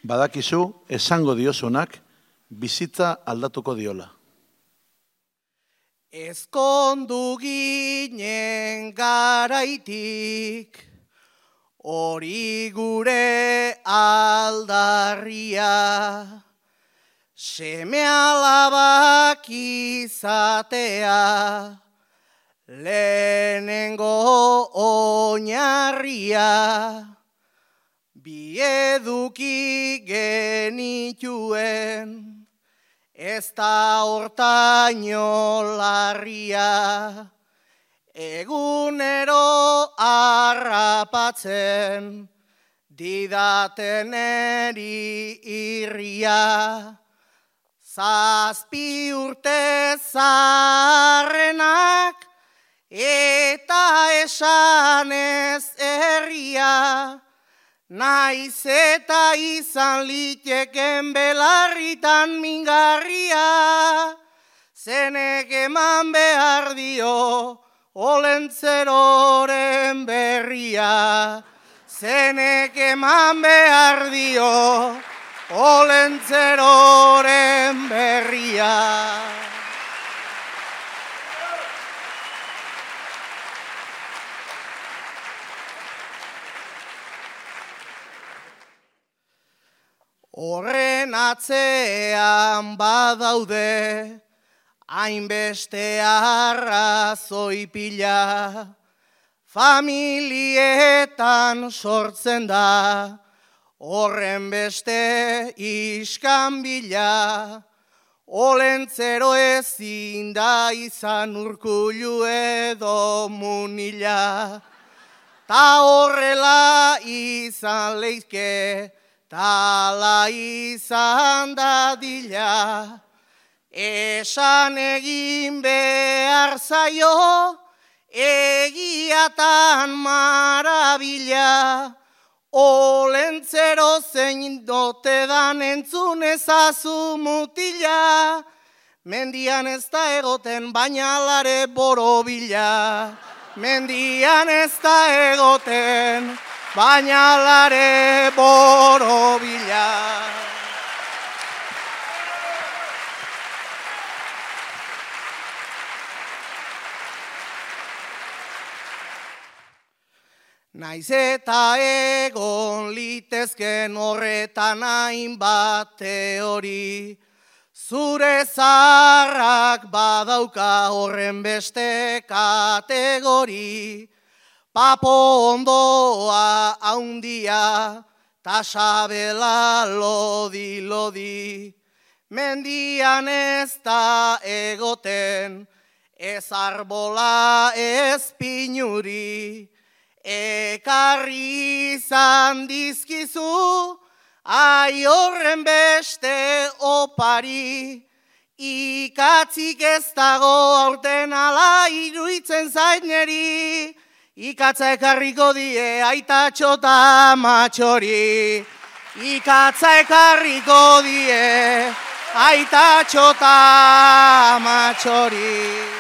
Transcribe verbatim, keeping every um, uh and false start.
Badakizu, esango diozunak, bizitza aldatuko diola. Ezkondu ginen garaitik, hori gure aldarria, seme alabak izatea, lehenengo oinarria, bi eduki genituen, ez da hortaino larria, egunero harrapatzen, didaten eri irria, zazpi urte zaharrenak, eta esanez herria, naiz eta izan liteken belarritan mingarria, zenek eman behar dio olentzeroren berria, zenek eman behar dio olentzeroren berria. Horren atzean badaude, hainbeste arrazoi pila, familietan sortzen da, horren beste iskanbila, olentzero ezin da izan Urkullu edo Munila, ta horrela izan leizke, tala izan dadila, esan egin behar zaio, egiatan marabila, olentzero zein dote dan entzun ezazu mutila, mendian ez da egoten baina lare borobila, mendian ez da egoten baina lare borobila. Naiz eta egon litezken horretan hainbat teori, zure zaharrak badauka horren beste kategori, papo ondoa haundia, ta sabela lodi-lodi, mendian ez da egoten, ez arbola ez pinuri, ekarri izan dizkizu, ai horren beste opari, ikatzik ez dago aurten ala iruditzen zait neri, ikatza ekarriko die aitatxo ta matxori, ikatza ekarriko die aitatxo ta matxori.